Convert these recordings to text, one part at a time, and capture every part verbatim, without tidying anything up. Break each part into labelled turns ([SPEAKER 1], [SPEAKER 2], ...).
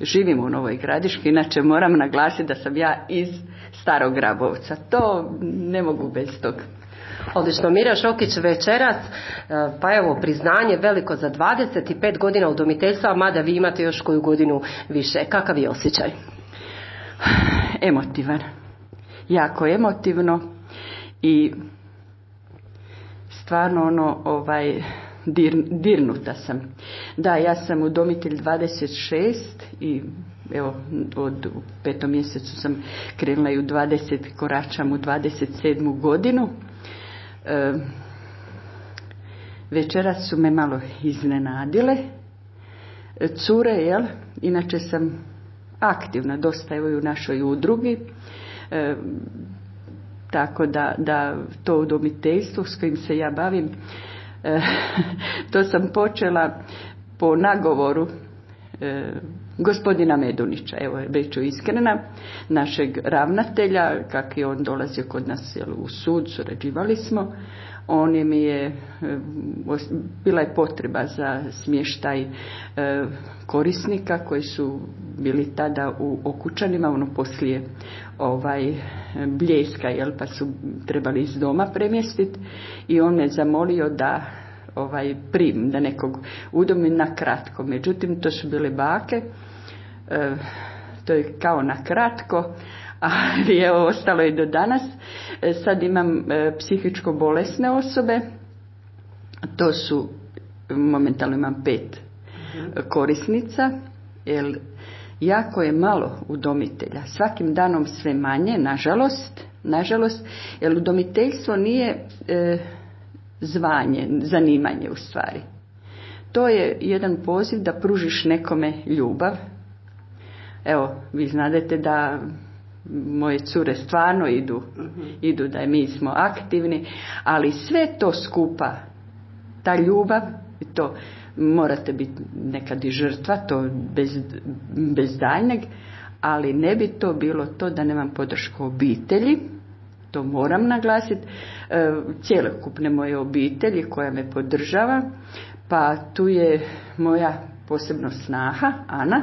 [SPEAKER 1] živim u Novoj Gradiški, inače moram naglasiti da sam ja iz Starog Grabovca. To ne mogu bez toga.
[SPEAKER 2] Odlično, Mirja Šokić večeras, pa evo priznanje veliko za dvadeset pet godina udomiteljstva, mada vi imate još koju godinu više. Kakav je osjećaj?
[SPEAKER 1] Emotivan. Jako emotivno i stvarno ono, ovaj, dir, dirnuta sam. Da, ja sam udomitelj dvadeset šest i evo, od u petom mjesecu sam krenula i u dvadeset, koračam u dvadeset sedmu godinu. E, večeras su me malo iznenadile. Cure, jel? Inače sam aktivna, dosta evo i u našoj udrugi. E, tako da, da to udomiteljstvo s kojim se ja bavim, e, to sam počela po nagovoru e, gospodina Medunića, evo bit ću iskrena, našeg ravnatelja, kak je on dolazio kod nas jel, u sud, surađivali smo. On je mi je, bila je potreba za smještaj e, korisnika koji su bili tada u Okučanima, ono poslije ovaj, Bljeska, jel, pa su trebali iz doma premjestiti i on me zamolio da ovaj, prim, da nekog udomim na kratko. Međutim, to su bile bake, e, to je kao na kratko, ali evo ostalo je do danas. E, sad imam e, psihičko bolesne osobe, to su, momentalno imam pet korisnica, jer jako je malo udomitelja, svakim danom sve manje, nažalost, nažalost, jer udomiteljstvo nije e, zvanje, zanimanje u stvari. To je jedan poziv da pružiš nekome ljubav. Evo, vi znadete da moje cure stvarno idu, uh-huh. idu da mi smo aktivni, ali sve to skupa, ta ljubav, to morate biti nekad i žrtva, to bez, bez daljnjeg, ali ne bi to bilo to da nemam podršku obitelji, to moram naglasiti, e, cjelokupne moje obitelji koja me podržava, pa tu je moja posebno snaha, Ana,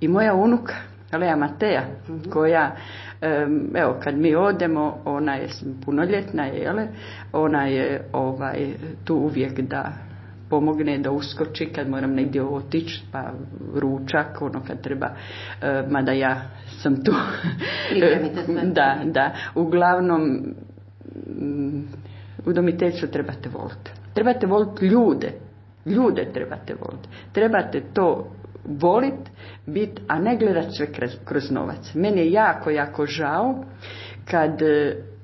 [SPEAKER 1] i moja unuka, Lea Mateja, koja, evo, kad mi odemo, ona je punoljetna, jele, ona je ovaj, tu uvijek da pomogne, da uskoči kad moram negdje otići, pa ručak, ono kad treba, mada ja sam tu. da, da, uglavnom, udomiteljstvo trebate voliti. Trebate voliti ljude, ljude trebate voliti. Trebate to volit, bit, a ne gledat sve kroz, kroz novac. Meni je jako, jako žao kad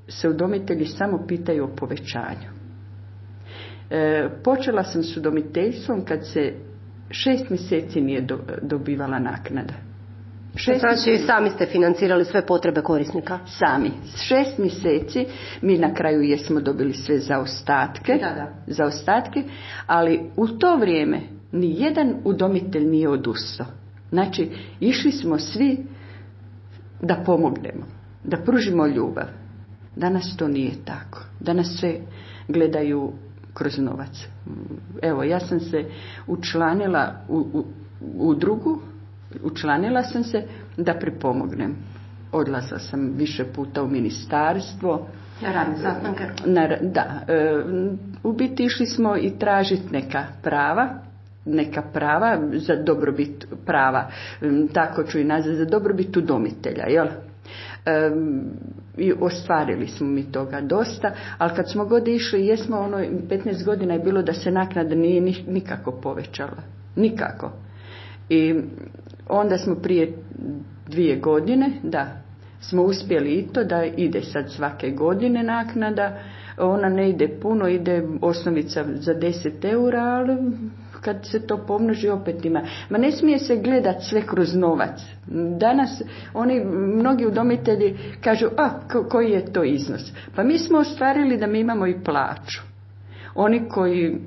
[SPEAKER 1] se udomitelji samo pitaju o povećanju. E, počela sam s udomiteljstvom kad se šest mjeseci nije do, dobivala naknada.
[SPEAKER 2] Šest znači mjeseci, sami ste financirali sve potrebe korisnika?
[SPEAKER 1] Sami. Šest mjeseci mi na kraju jesmo dobili sve zaostatke,
[SPEAKER 2] da, da.
[SPEAKER 1] zaostatke, ali u to vrijeme ni jedan udomitelj nije odustao. Znači, išli smo svi da pomognemo, da pružimo ljubav. Danas to nije tako. Danas sve gledaju kroz novac. Evo, ja sam se učlanila u, u, u drugu, učlanila sam se da pripomognem. Odlazila sam više puta u ministarstvo.
[SPEAKER 2] Na radne sastanke?
[SPEAKER 1] Na, da, e, u biti išli smo i tražiti neka prava, neka prava za dobrobit prava, tako ću i nazvati, za dobrobit udomitelja, jel? E, i ostvarili smo mi toga dosta, ali kad smo god išli, jesmo ono, petnaest godina je bilo da se naknada nije nikako povećala, nikako. I onda smo prije dvije godine, da, smo uspjeli i to da ide sad svake godine naknada, ona ne ide puno, ide osnovica za deset eura, ali kad se to pomnoži opet ima. Ma ne smije se gledat sve kroz novac. Danas oni, mnogi udomitelji kažu, a ko, koji je to iznos? Pa mi smo ostvarili da mi imamo i plaću. Oni koji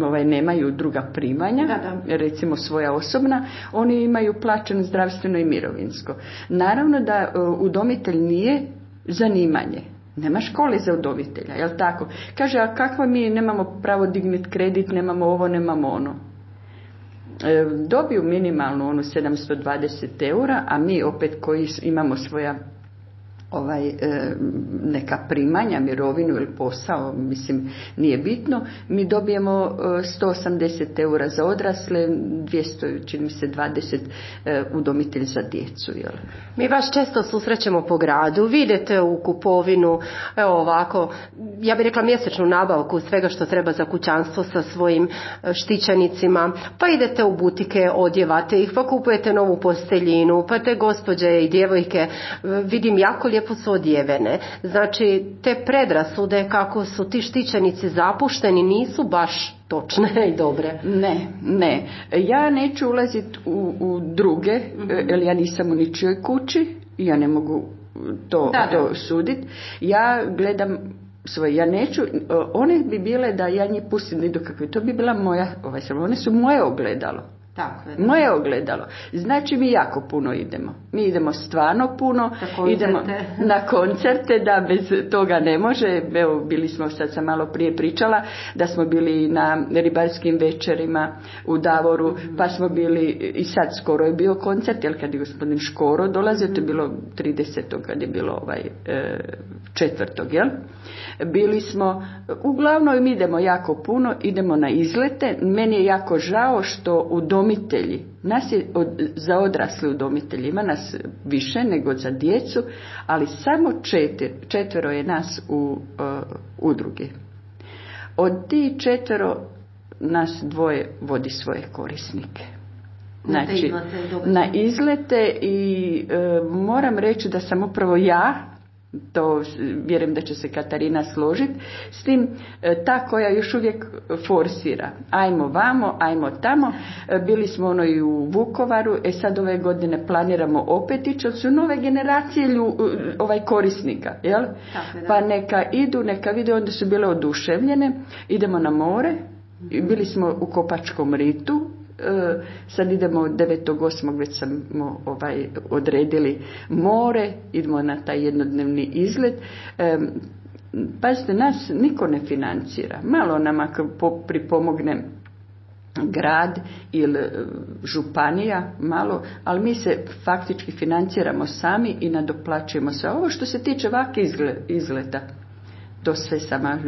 [SPEAKER 1] ovaj, nemaju druga primanja, da, da. recimo svoja osobna, oni imaju plaćeno zdravstveno i mirovinsko. Naravno da udomitelj nije zanimanje. Nema škole za udomitelja, jel tako? Kaže, a kakva mi nemamo pravo digniti kredit, nemamo ovo, nemamo ono. dobiju minimalno onu sedamsto dvadeset eura, a mi opet koji imamo svoja ovaj, neka primanja, mirovinu ili posao, mislim, nije bitno, mi dobijemo sto osamdeset eura za odrasle, dvjesto, čini mi se dvadeset udomitelj za djecu. Jel?
[SPEAKER 2] Mi vas često susrećemo po gradu, vidite u kupovinu, evo ovako, ja bih rekla mjesečnu nabavku svega što treba za kućanstvo sa svojim štićenicima, pa idete u butike, odjevate ih, pa kupujete novu posteljinu, pa te gospođe i djevojke, vidim jako lijepo su odjevene. Znači, te predrasude kako su ti štićenici zapušteni nisu baš točne i dobre.
[SPEAKER 1] Ne, ne. Ja neću ulaziti u, u druge, mm-hmm. jer ja nisam u ničijoj kući, ja ne mogu to,
[SPEAKER 2] da,
[SPEAKER 1] to
[SPEAKER 2] da.
[SPEAKER 1] suditi. Ja gledam svoje, ja neću, one bi bile da ja njih pustim idu kako to bi bila moja, ovaj, one su moje ogledalo.
[SPEAKER 2] Tako je.
[SPEAKER 1] Moje ogledalo. Znači mi jako puno idemo. Mi idemo stvarno puno. Idemo na koncerte, da bez toga ne može. Evo, bili smo, sad sam malo prije pričala, da smo bili na ribarskim večerima u Davoru, mm-hmm. pa smo bili, i sad skoro je bio koncert, jer kad je gospodin Škoro dolazio, mm-hmm. to je bilo tridesetog kad je bilo ovaj e, četvrtog, jel? Bili smo, uglavnom mi idemo jako puno, idemo na izlete. Meni je jako žao što udomitelji, nas je od, za odrasle udomitelji, ima nas više nego za djecu, ali samo četir, četvero je nas u uh, udruge. Od tih četvero nas dvoje vodi svoje korisnike. Znači, na izlete i uh, moram reći da sam upravo ja, to vjerujem da će se Katarina složiti, s tim ta koja još uvijek forsira. Ajmo vamo, ajmo tamo. Bili smo ono i u Vukovaru, e sad ove godine planiramo opet ići, od su nove generacije lju, ovaj korisnika, jel? Tako, pa neka idu, neka vide, onda su bile oduševljene. Idemo na more, bili smo u Kopačkom ritu, sad idemo od devetog osmog već smo ovaj, odredili more, idemo na taj jednodnevni izlet. E, pazite, nas niko ne financira. Malo nam ako pripomogne grad ili županija, malo, ali mi se faktički financiramo sami i nadoplaćujemo sve. Ovo što se tiče ovakvih izleta, to sve sama,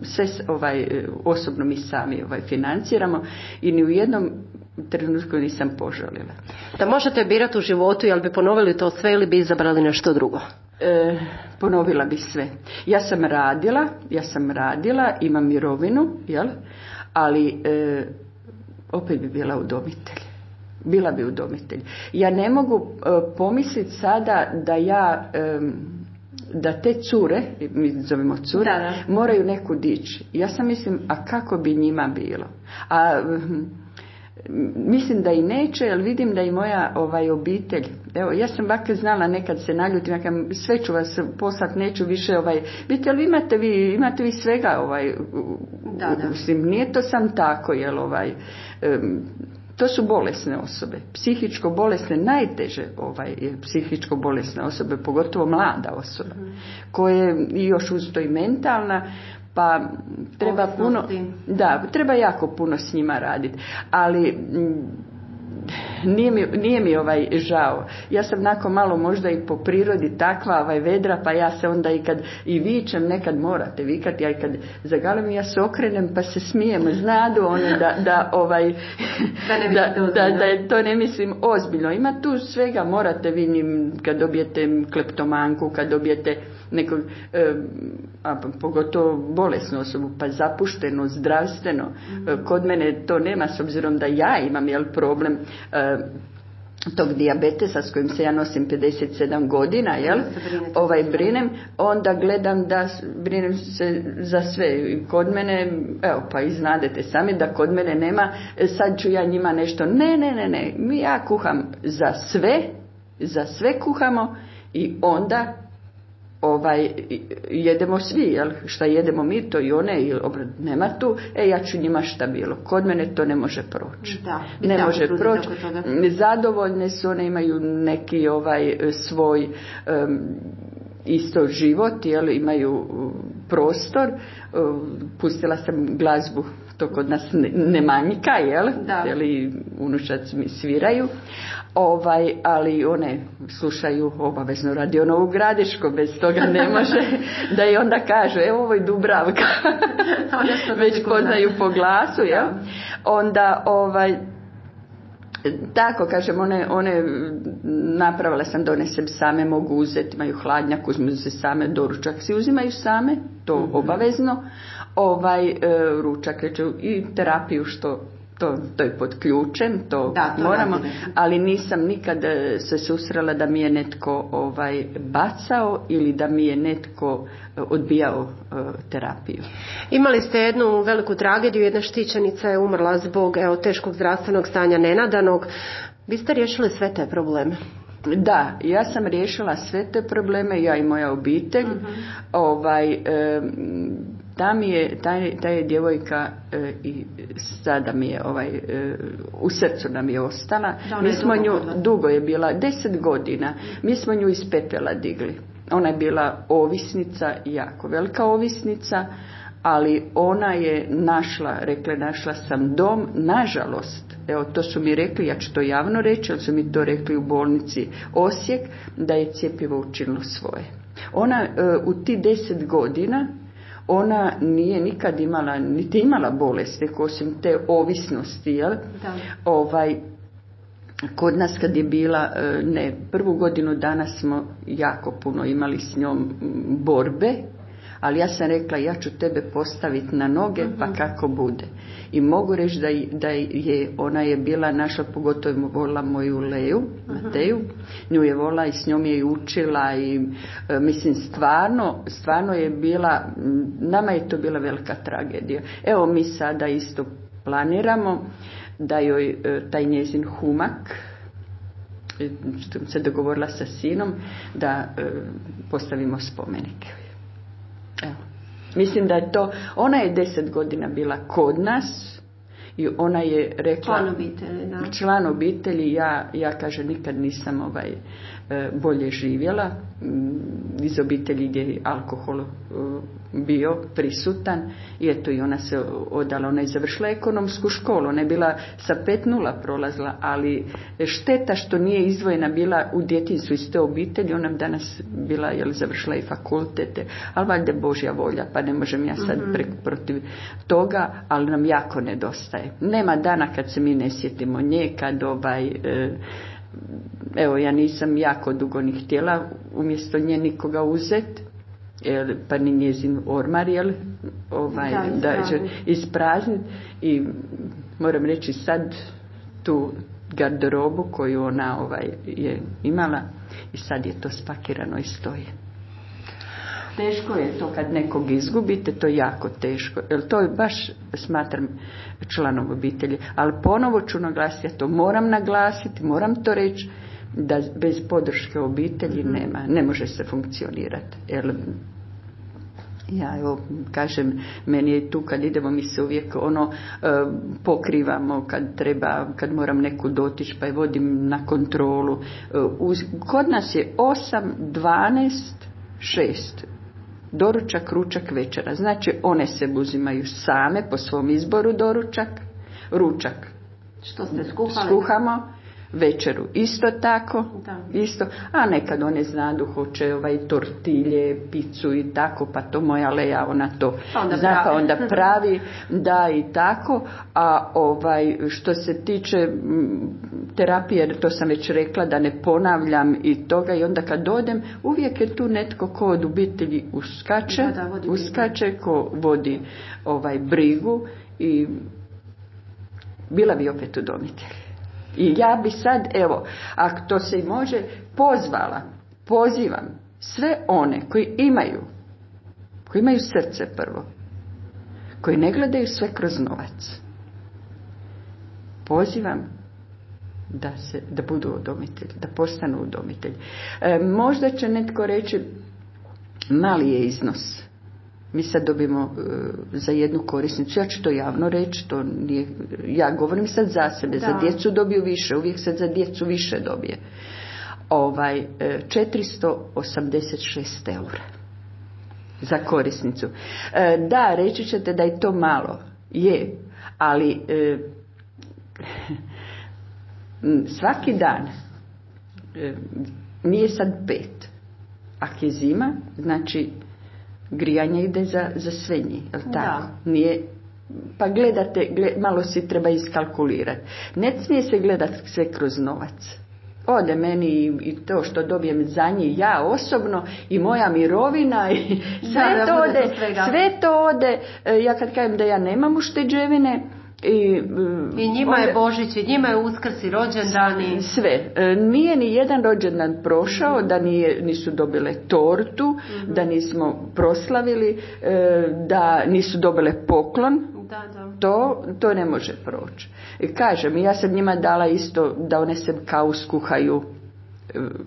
[SPEAKER 1] sve ovaj, osobno mi sami ovaj, financiramo i ni u jednom trenutku nisam požalila.
[SPEAKER 2] Da možete birati u životu, jel bi ponovili to sve ili bi izabrali nešto drugo?
[SPEAKER 1] E, ponovila bi sve. Ja sam radila, ja sam radila, imam mirovinu, jel? Ali e, opet bi bila udomitelj. Bila bi udomitelj. Ja ne mogu e, pomisliti sada da ja... E, da te cure, mi zovemo cure, da, da. moraju neku dići. Ja sam mislim, a kako bi njima bilo? A mislim da i neće, jer vidim da i moja ovaj, obitelj, evo, ja sam ovako znala nekad se naljutim, ja kam, sve ću vas poslat, neću više, ovaj, biti, ali imate vi, imate vi svega, ovaj,
[SPEAKER 2] da, da.
[SPEAKER 1] Mislim, nije to sam tako, jel, ovaj, um, to su bolesne osobe, psihičko bolesne, najteže ovaj, psihičko bolesne osobe, pogotovo mlada osoba, mm. koje i još uz to i mentalna, pa treba puno, da, treba jako puno s njima raditi, ali nije mi, nije mi ovaj žao. Ja sam nakon malo možda i po prirodi takva ovaj vedra, pa ja se onda i kad i vičem, nekad morate vikati, ja i kad zagalim ja se okrenem pa se smijem, znadu one da, da ovaj
[SPEAKER 2] da,
[SPEAKER 1] da, da, da to ne mislim ozbiljno. Ima tu svega, morate vi njim, kad dobijete kleptomanku, kad dobijete nekog, e, a pogotovo bolesnu osobu, pa zapušteno, zdravstveno. Mm. Kod mene to nema, s obzirom da ja imam jel, problem e, tog dijabetesa s kojim se ja nosim pedeset sedam godina, jel? Ovaj brinem, onda gledam da brinem se za sve. Kod mene, evo pa i znadete sami da kod mene nema, sad ću ja njima nešto, ne, ne, ne, ne, mi ja kuham za sve, za sve kuhamo i onda ovaj, jedemo svi, jel? Šta jedemo mi, to i one, i nema tu, e ja ću njima šta bilo. Kod mene to ne može proći.
[SPEAKER 2] Da,
[SPEAKER 1] ne može proći. Zadovoljne su, one imaju neki ovaj svoj um, isto život, jel? Imaju prostor. Um, pustila sam glazbu to kod nas ne, ne manjka, jel?
[SPEAKER 2] Da.
[SPEAKER 1] Jeli, unučac mi sviraju, ovaj, ali one slušaju obavezno Radio Novu Gradišku, bez toga ne može da i onda kažu, evo ovo je Dubravka, već poznaju po glasu, jel? Onda, ovaj, tako kažem, one, one napravila sam, donesem same, mogu uzeti, imaju hladnjak, uzmu se same, doručak si uzimaju same, to mm-hmm. obavezno, ovaj, e, ručak i terapiju što To, to je pod ključem, to,
[SPEAKER 2] da, to
[SPEAKER 1] moramo,
[SPEAKER 2] radine.
[SPEAKER 1] Ali nisam nikad se susrela da mi je netko ovaj, bacao ili da mi je netko odbijao uh, terapiju.
[SPEAKER 2] Imali ste jednu veliku tragediju, jedna štićenica je umrla zbog evo, teškog zdravstvenog stanja nenadanog. Vi ste riješili sve te probleme?
[SPEAKER 1] Da, ja sam riješila sve te probleme, ja i moja obitelj. Uh-huh. Ovaj, e, ta mi je, ta, ta je djevojka e, i sada mi je ovaj, e, u srcu nam je ostala.
[SPEAKER 2] Da,
[SPEAKER 1] mi
[SPEAKER 2] je
[SPEAKER 1] smo
[SPEAKER 2] dugo
[SPEAKER 1] nju,
[SPEAKER 2] godila.
[SPEAKER 1] dugo je bila, deset godina, mi smo nju iz pepela digli. Ona je bila ovisnica, jako velika ovisnica, ali ona je našla, rekla našla sam dom, nažalost, evo to su mi rekli, ja ću to javno reći, ali su mi to rekli u bolnici Osijek, da je cjepivo učinilo svoje. Ona e, u ti deset godina, ona nije nikad imala, niti imala bolesti, osim te ovisnosti, jel?
[SPEAKER 2] Da.
[SPEAKER 1] Ovaj, kod nas kad je bila, ne, prvu godinu dana smo jako puno imali s njom borbe, ali ja sam rekla, ja ću tebe postaviti na noge, uh-huh. pa kako bude. I mogu reći da, da je, ona je bila naša, pogotovo volila moju Leju, uh-huh. Mateju, nju je volila i s njom je i učila i e, mislim stvarno, stvarno je bila, nama je to bila velika tragedija. Evo mi sada isto planiramo da joj e, taj njezin humak, što se dogovorila sa sinom, da e, postavimo spomenike. Evo. Mislim da je to, ona je deset godina bila kod nas i ona je rekla,
[SPEAKER 2] član obitelji, da.
[SPEAKER 1] Član obitelji, ja, ja kaže nikad nisam ovaj, bolje živjela iz obitelji gdje je alkohol bio prisutan i eto i ona se odala, ona je završila ekonomsku školu, ona je bila sa pet nula prolazila, ali šteta što nije izdvojena bila u djetinjstvu iz te obitelji, ona bi danas bila, jel, završila i fakultete, ali valjda Božja volja, pa ne možem ja sad pre, protiv toga, ali nam jako nedostaje. Nema dana kad se mi ne sjetimo nje, kad ovaj e, evo ja nisam jako dugo ni htjela umjesto nje nikoga uzeti, pa ni njezin ormar, jel, ovaj, da, da će isprazniti i moram reći sad tu garderobu koju ona ovaj, je imala i sad je to spakirano i stoji. Teško je to kad nekog izgubite, to je jako teško, jer to je baš, smatram, članom obitelji, ali ponovo ću naglasiti, ja to moram naglasiti, moram to reći, da bez podrške obitelji nema, ne može se funkcionirati. Jer ja evo kažem, meni je tu kad idemo mi se uvijek ono e, pokrivamo kad treba, kad moram neku dotići pa je vodim na kontrolu. E, uz, kod nas je osam, dvanaest, šest. Doručak, ručak, večera. Znači one se uzimaju same po svom izboru doručak, ručak.
[SPEAKER 2] Što ste skuhali?
[SPEAKER 1] Skuhamo. Večeru isto tako,
[SPEAKER 2] da.
[SPEAKER 1] Isto, a nekad one znadu hoće ovaj tortilje, picu i tako, pa to moja Leja ona to
[SPEAKER 2] onda
[SPEAKER 1] zna
[SPEAKER 2] pravi.
[SPEAKER 1] pa onda pravi, da i tako, a ovaj što se tiče m, terapije, to sam već rekla da ne ponavljam i toga i onda kad odem, uvijek je tu netko ko od obitelji uskače,
[SPEAKER 2] da, da,
[SPEAKER 1] uskače, ko vodi ovaj brigu i bila bi opet udomitelj. I ja bi sad, evo, ako to se i može, pozvala, pozivam sve one koji imaju, koji imaju srce prvo, koji ne gledaju sve kroz novac. Pozivam da, se, da budu udomitelji, da postanu udomitelji. E, možda će netko reći, mali je iznos. Mi sad dobijemo uh, za jednu korisnicu, ja ću to javno reći, to nije, ja govorim sad za sebe, da. Za djecu dobiju više, uvijek sad za djecu više dobije. Ovaj, četiristo osamdeset šest eura za korisnicu. E, da, reći ćete da je to malo, je, Ali e, svaki dan e, nije sad pet. Ako je zima, znači grijanje ide za, za sve njih, jel tako? Da. Nije, pa gledate, gled, malo si treba iskalkulirati. Ne smije se gledati sve kroz novac. Ode meni i, i to što dobijem za njih ja osobno i moja mirovina i sve da, to da ode, sve to ode. Ja kad kažem da ja nemam ušteđevine, I,
[SPEAKER 2] I njima onda, je Božić, i njima je Uskrs i rođendani.
[SPEAKER 1] Sve. Nije ni jedan rođendan prošao, mm-hmm. da nije, nisu dobile tortu, mm-hmm. da nismo proslavili, da nisu dobile poklon.
[SPEAKER 2] Da, da.
[SPEAKER 1] To, to ne može proći. I kažem, ja sam njima dala isto da one se kao skuhaju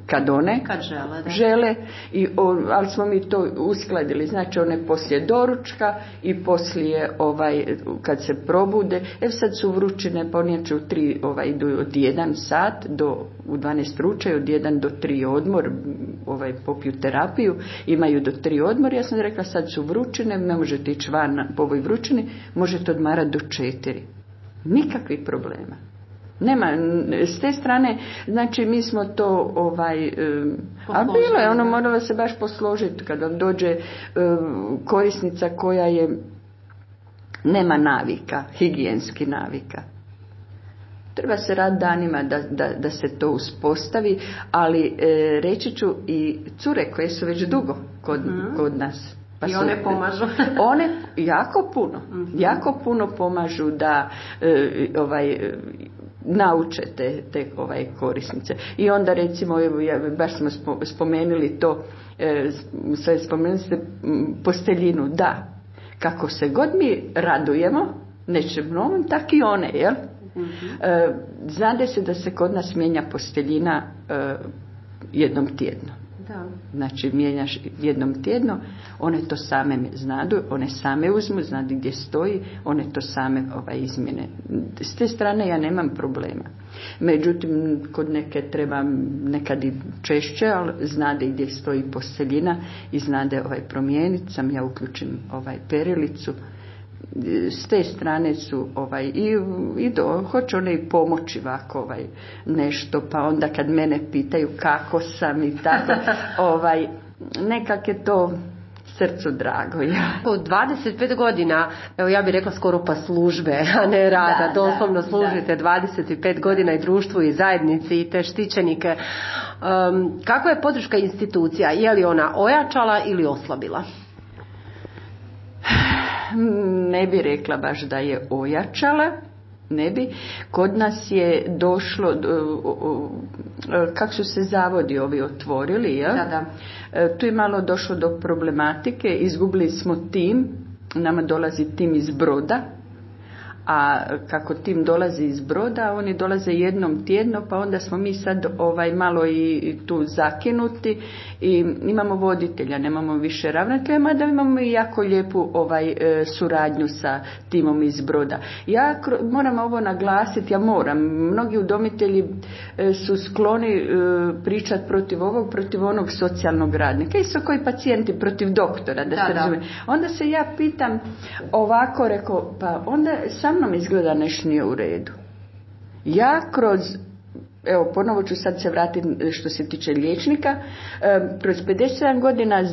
[SPEAKER 1] kad one
[SPEAKER 2] kad žele, da.
[SPEAKER 1] žele i, o, ali smo mi to uskladili, znači one poslije doručka i poslije ovaj, kad se probude, evo sad su vrućine, pa one će u tri, ovaj, idu od jedan sat do, u dvanaest ručaju, od jedan do tri odmor, ovaj, popiju terapiju, imaju do tri odmor, ja sam rekla sad su vrućine, ne možete ići van po ovoj vrućini, možete odmarati do četiri, nikakvih problema. Nema, s te strane, znači mi smo to, ovaj, um, a bilo je, ono moralo se baš posložiti kada dođe um, korisnica koja je, nema navika, higijenski navika. Treba se rad danima da, da, da se to uspostavi, ali e, reći ću i cure koje su već dugo kod, mm. kod nas.
[SPEAKER 2] Pa I one su, pomažu.
[SPEAKER 1] One jako puno, mm-hmm. jako puno pomažu da e, ovaj, nauče te, te ovaj, korisnice. I onda recimo, evo, ja, baš smo spomenuli to, e, sve spomenuli ste posteljinu, da, kako se god mi radujemo nečem novom, tak i one, jel? Mm-hmm. E, znade se da se kod nas mijenja posteljina e, jednom tjedno.
[SPEAKER 2] Da.
[SPEAKER 1] Znači mijenjaš jednom tjedno, one to same znadu, one same uzmu, znadu gdje stoji, one to same ovaj, izmjene. S te strane ja nemam problema. Međutim, kod neke treba nekad i češće, ali znade gdje stoji posteljina i znade ovaj, promijeniti, sam ja uključim ovaj, perilicu. S te strane su ovaj, i, i do, hoće one i pomoći ovako ovaj, nešto, pa onda kad mene pitaju kako sam i tako, ovaj, nekak je to srcu drago. Ja.
[SPEAKER 2] U dvadeset pet godina, evo ja bih rekla skoro pa službe, a ne rada, da, doslovno
[SPEAKER 1] da,
[SPEAKER 2] služite da. dvadeset pet godina i društvu i zajednici i te štićenike. Um, kakva je podrška institucija? Je li ona ojačala ili oslabila?
[SPEAKER 1] Ne bi rekla baš da je ojačala, ne bi. Kod nas je došlo, kako su se zavodi ovi otvorili, ja?
[SPEAKER 2] Da,
[SPEAKER 1] da. Tu je malo došlo do problematike, izgubili smo tim, nama dolazi tim iz Broda, a kako tim dolazi iz Broda, oni dolaze jednom tjedno, pa onda smo mi sad ovaj malo i tu zakinuti i imamo voditelja, nemamo više ravnatelja, mada imamo i jako lijepu ovaj suradnju sa timom iz Broda. Ja moram ovo naglasiti, ja moram, mnogi udomitelji su skloni pričati protiv ovog, protiv onog socijalnog radnika, isto koji pacijenti protiv doktora, da, da se razumije. Onda se ja pitam ovako, rekao, pa onda sa mnom izgleda nešto nije u redu. Ja kroz, evo ponovo ću sad se vratiti što se tiče liječnika, kroz pedeset sedam godina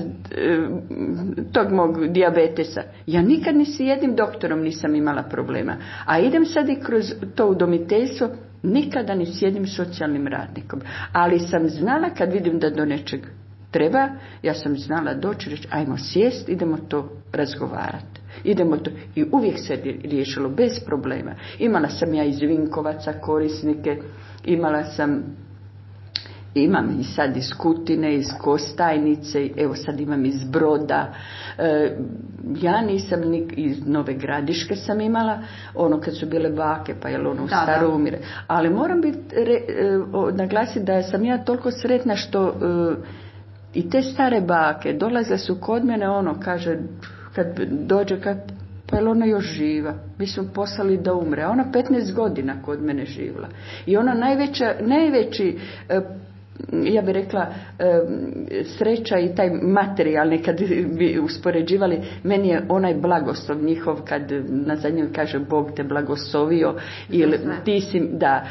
[SPEAKER 1] tog mog dijabetesa, ja nikad ni s jednim doktorom nisam imala problema, a idem sad i kroz to udomiteljstvo, nikada ni s jednim socijalnim radnikom, ali sam znala kad vidim da do nečeg treba, ja sam znala doći reći, ajmo sjest, idemo to razgovarati. Idemo to. I uvijek se riješilo bez problema. Imala sam ja iz Vinkovaca korisnike, imala sam, imam i sad iz Kutine, iz Kostajnice, evo sad imam iz Broda. E, ja nisam, ni, iz Nove Gradiške sam imala, ono kad su bile bake, pa je ono u staro umire. Ali moram biti, re, o, naglasiti da sam ja toliko sretna što e, i te stare bake dolazile su kod mene, ono kaže, kad dođe, kad, pa je ona još živa. Mi smo poslali da umre. Ona petnaest godina kod mene živjela. I ona najveća, najveći e, ja bih rekla, sreća i taj materijalni, kad bi uspoređivali, meni je onaj blagoslov njihov, kad na zadnjoj kaže Bog te blagoslovio, ili ti si, da,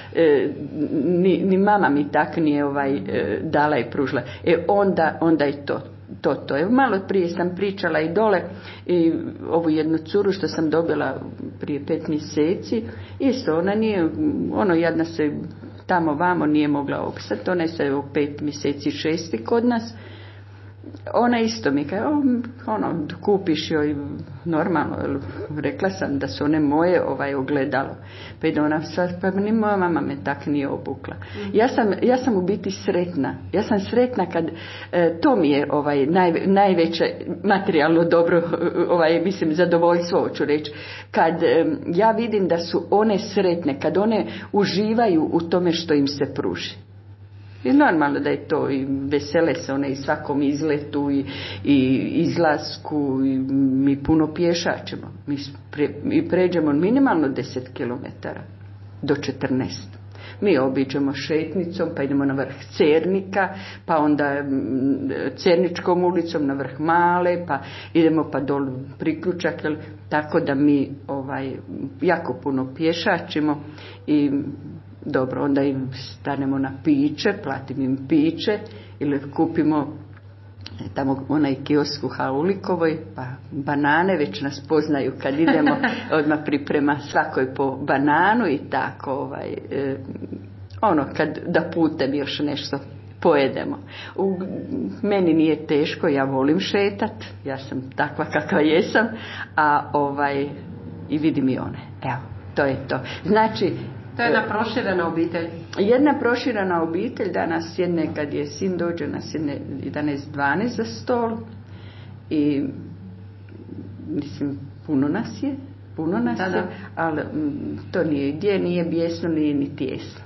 [SPEAKER 1] ni, ni mama mi tak nije ovaj, dala i pružila. E onda, onda je to. To, to je. Malo prije sam pričala i dole i ovu jednu curu što sam dobila prije pet mjeseci, isto ona nije, ono jadna se tamo vamo nije mogla opstati, ona je se u pet mjeseci šesti kod nas. Ona isto mi kaže, ono, kupiš joj normalno, rekla sam da su one moje ovaj ogledalo. Pa ide ona, pa ni moja mama me tak nije obukla. Ja sam, ja sam u biti sretna. Ja sam sretna kad, e, to mi je ovaj, naj, najveće materijalno dobro, ovaj, mislim, zadovoljstvo, hoću reći. Kad e, ja vidim da su one sretne, kad one uživaju u tome što im se pruži. I normalno da je to, i vesele se one i svakom izletu i, i izlasku, i mi puno pješačemo. Mi, pre, mi pređemo minimalno deset kilometara do četrnaest. Mi obiđemo šetnicom, pa idemo na vrh Cernika, pa onda Cerničkom ulicom na vrh Male, pa idemo pa dolu priključak, tako da mi ovaj, jako puno pješačimo i dobro, onda im stanemo na piće, platim im piće ili kupimo tamo onaj kiosk u Haulikovoj, pa banane, već nas poznaju kad idemo, odmah priprema svakoj po bananu i tako, ovaj, eh, ono, kad da putem još nešto pojedemo. U, meni nije teško, ja volim šetat, ja sam takva kakva jesam, a ovaj, i vidim i one, evo, to je to. Znači,
[SPEAKER 2] to je jedna proširena obitelj.
[SPEAKER 1] Jedna proširena obitelj, danas sjedne, kad je sin dođe, nas sjedne jedanaest dvanaest za stol i mislim, puno nas je, puno nas da, je, da. Ali to nije gdje, nije bijesno, nije ni tijesno.